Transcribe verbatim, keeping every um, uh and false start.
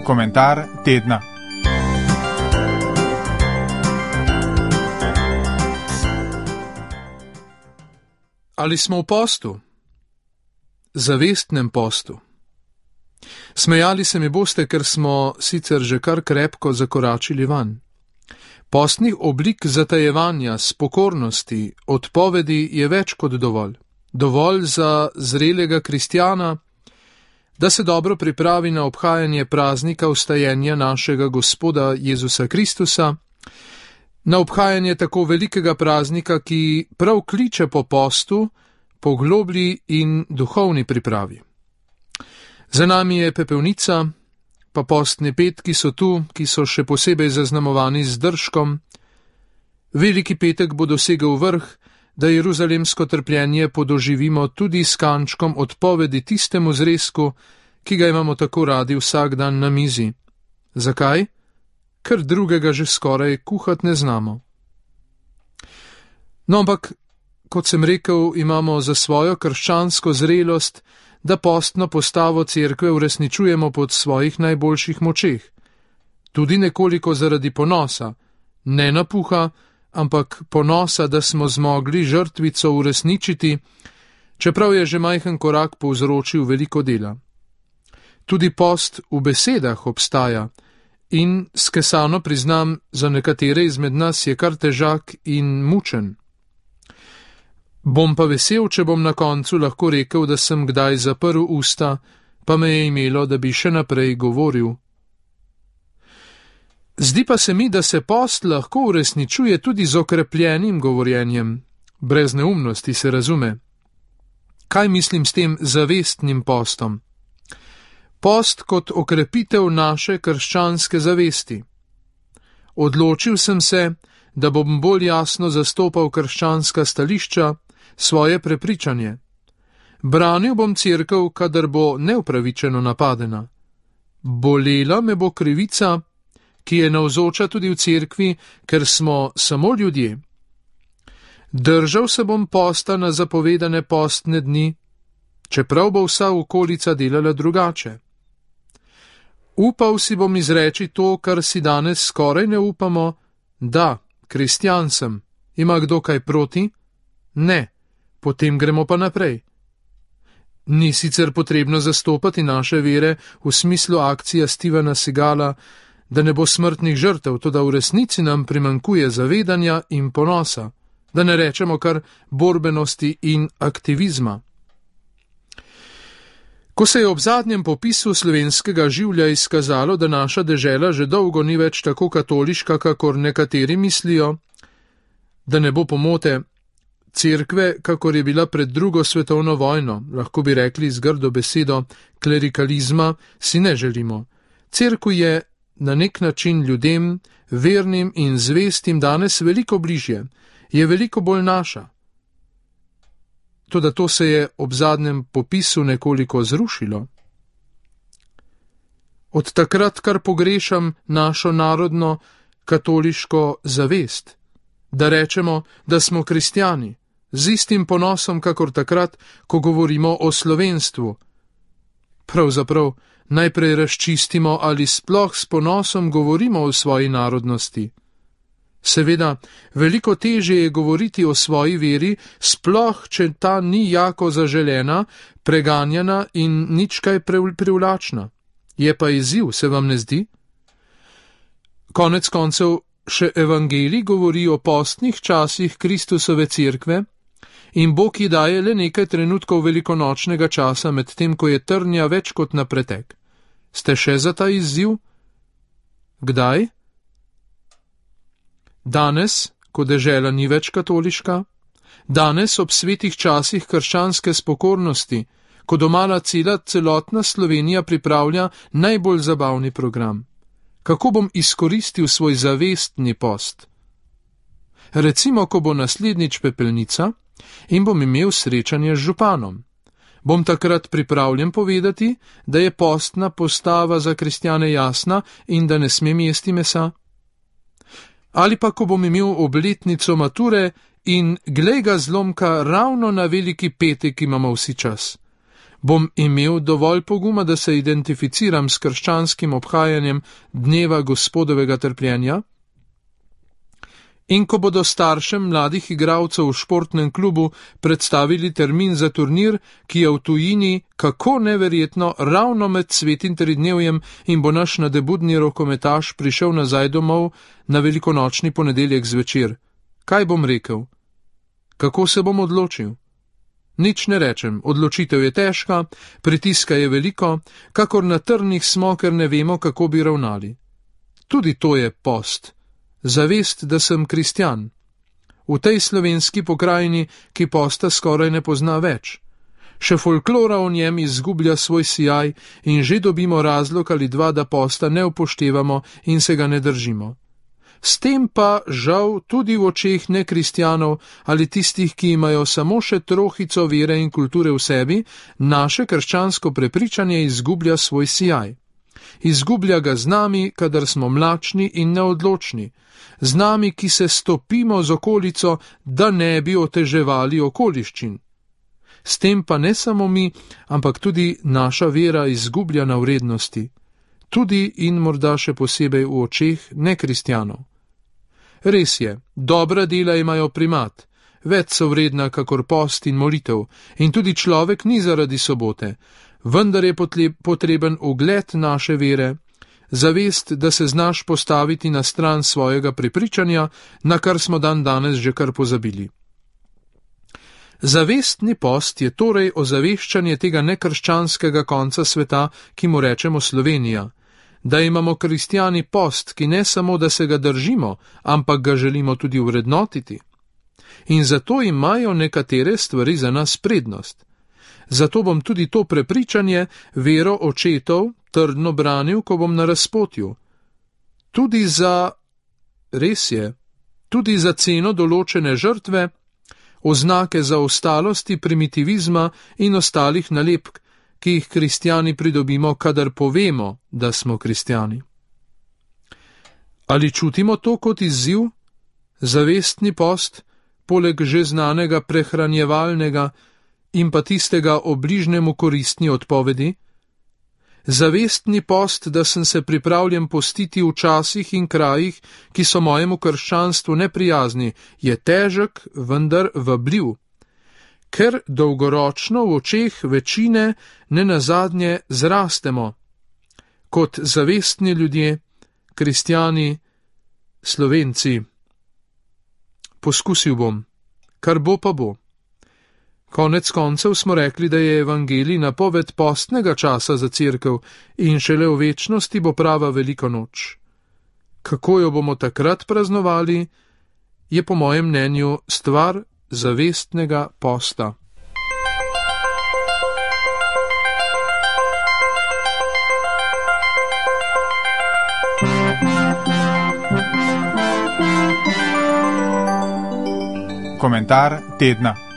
Komentar tedna. Ali smo v postu? Zavestnem postu. Smejali se mi boste, ker smo sicer že kar krepko zakoračili vanj. Postnih oblik zatajevanja, spokornosti, odpovedi je več kot dovolj. Dovolj za zrelega kristjana, da se dobro pripravi na obhajanje praznika vstajenja našega Gospoda Jezusa Kristusa, na obhajanje tako velikega praznika, ki prav kliče po postu, po globlji in duhovni pripravi. Za nami je pepelnica, pa postni petki so tu, ki so še posebej zaznamovani z držkom. Veliki petek bo dosegel vrh, da jeruzalemsko trpljenje podoživimo tudi s kančkom odpovedi tistemu zrezku, ki ga imamo tako radi vsak dan na mizi. Zakaj? Ker drugega že skoraj kuhat ne znamo. No, ampak, kot sem rekel, imamo za svojo krščansko zrelost, da postno postavo cerkve uresničujemo pod svojih najboljših močeh. Tudi nekoliko zaradi ponosa, ne napuha, ampak ponosa, da smo zmogli žrtvico uresničiti, čeprav je že majhen korak povzročil veliko dela. Tudi post v besedah obstaja in skesano priznam, za nekatere izmed nas je kar težak in mučen. Bom pa vesel, če bom na koncu lahko rekel, da sem kdaj zaprl usta, pa me je imelo, da bi še naprej govoril. Zdi pa se mi, da se post lahko uresničuje tudi z okrepljenim govorjenjem, brez neumnosti se razume. Kaj mislim s tem zavestnim postom? Post kot okrepitev naše krščanske zavesti. Odločil sem se, da bom bolj jasno zastopal krščanska stališča, svoje prepričanje. Branil bom cerkev, kadar bo neupravičeno napadena. Bolela me bo krivica, ki je navzoča tudi v cerkvi, ker smo samo ljudje. Držal se bom posta na zapovedane postne dni, čeprav bo vsa okolica delala drugače. Upal si bom izreči to, kar si danes skoraj ne upamo, da, kristjan sem. Ima kdo kaj proti? Ne. Potem gremo pa naprej. Ni sicer potrebno zastopati naše vere v smislu akcija Stevena Seagala, da ne bo smrtnih žrtev, toda v resnici nam primanjkuje zavedanja in ponosa, da ne rečemo kar borbenosti in aktivizma. Ko se je ob zadnjem popisu slovenskega življa izkazalo, da naša dežela že dolgo ni več tako katoliška, kakor nekateri mislijo, da ne bo pomote, cerkve, kakor je bila pred drugo svetovno vojno, lahko bi rekli z grdo besedo, klerikalizma, si ne želimo. Cerkev je na nek način ljudem, vernim in zvestim danes veliko bližje, je veliko bolj naša. Toda to se je ob zadnjem popisu nekoliko zrušilo. Od takrat kar pogrešam našo narodno katoliško zavest, da rečemo, da smo kristjani, z istim ponosom, kakor takrat, ko govorimo o slovenstvu. Pravzaprav najprej razčistimo, ali sploh s ponosom govorimo o svoji narodnosti. Seveda, veliko težje je govoriti o svoji veri, sploh, če ta ni jako zaželena, preganjana in nič kaj privlačna. Je pa izziv, se vam ne zdi? Konec koncev, še evangelij govori o postnih časih Kristusove cerkve in Bog ji daje le nekaj trenutkov velikonočnega časa, med tem, ko je trnja več kot na pretek. Ste še za ta izziv? Kdaj? Danes, ko dežela ni več katoliška? Danes, ob svetih časih krščanske spokornosti, ko domala cela celotna Slovenija pripravlja najbolj zabavni program? Kako bom izkoristil svoj zavestni post? Recimo, ko bo naslednjič pepelnica in bom imel srečanje z županom. Bom takrat pripravljen povedati, da je postna postava za kristjane jasna in da ne smem jesti mesa? Ali pa, ko bom imel obletnico mature in glej ga zlomka ravno na veliki petek imamo vsi čas. Bom imel dovolj poguma, da se identificiram s krščanskim obhajanjem dneva Gospodovega trpljenja? In ko bodo staršem mladih igralcev v športnem klubu predstavili termin za turnir, ki je v tujini kako neverjetno ravno med svetim tridnevjem in bo naš nadebudni rokometaš prišel nazaj domov na velikonočni ponedeljek zvečer, kaj bom rekel? Kako se bom odločil? Nič ne rečem, odločitev je težka, pritiska je veliko, kakor na trnih smo, ker ne vemo, kako bi ravnali. Tudi to je post. Zavest, da sem kristjan. V tej slovenski pokrajini, ki posta skoraj ne pozna več. Še folklora o njem izgublja svoj sijaj in že dobimo razlog ali dva, da posta ne upoštevamo in se ga ne držimo. S tem pa, žal, tudi v očeh nekristjanov ali tistih, ki imajo samo še trohico vere in kulture v sebi, naše krščansko prepričanje izgublja svoj sijaj. Izgublja ga z nami, kadar smo mlačni in neodločni, z nami, ki se stopimo z okolico, da ne bi oteževali okoliščin. S tem pa ne samo mi, ampak tudi naša vera izgublja na vrednosti, tudi in morda še posebej v očeh nekristjanov. Res je, dobra dela imajo primat, več so vredna kakor post in molitev, in tudi človek ni zaradi sobote, vendar je potreben ugled naše vere, zavest, da se znaš postaviti na stran svojega prepričanja, na kar smo dan danes že kar pozabili. Zavestni post je torej ozaveščanje tega nekrščanskega konca sveta, ki mu rečemo Slovenija, da imamo kristjani post, ki ne samo, da se ga držimo, ampak ga želimo tudi vrednotiti. In zato imajo nekatere stvari za nas prednost. Zato bom tudi to prepričanje, vero očetov, trdno branil, ko bom na razpotju. Tudi za, res je, tudi za ceno določene žrtve, oznake zaostalosti, primitivizma in ostalih nalepk, ki jih kristjani pridobimo, kadar povemo, da smo kristjani. Ali čutimo to kot izziv? Zavestni post, poleg že znanega prehranjevalnega in pa tistega o bližnjemu koristni odpovedi? Zavestni post, da sem se pripravljen postiti v časih in krajih, ki so mojemu krščanstvu neprijazni, je težek, vendar vabljiv. Ker dolgoročno v očeh večine ne nazadnje zrastemo. Kot zavestni ljudje, kristjani, Slovenci. Poskusil bom, kar bo pa bo. Konec koncev smo rekli, da je evangelij napoved postnega časa za cerkev in šele v večnosti bo prava velika noč. Kako jo bomo takrat praznovali, je po mojem mnenju stvar zavestnega posta. Komentar tedna.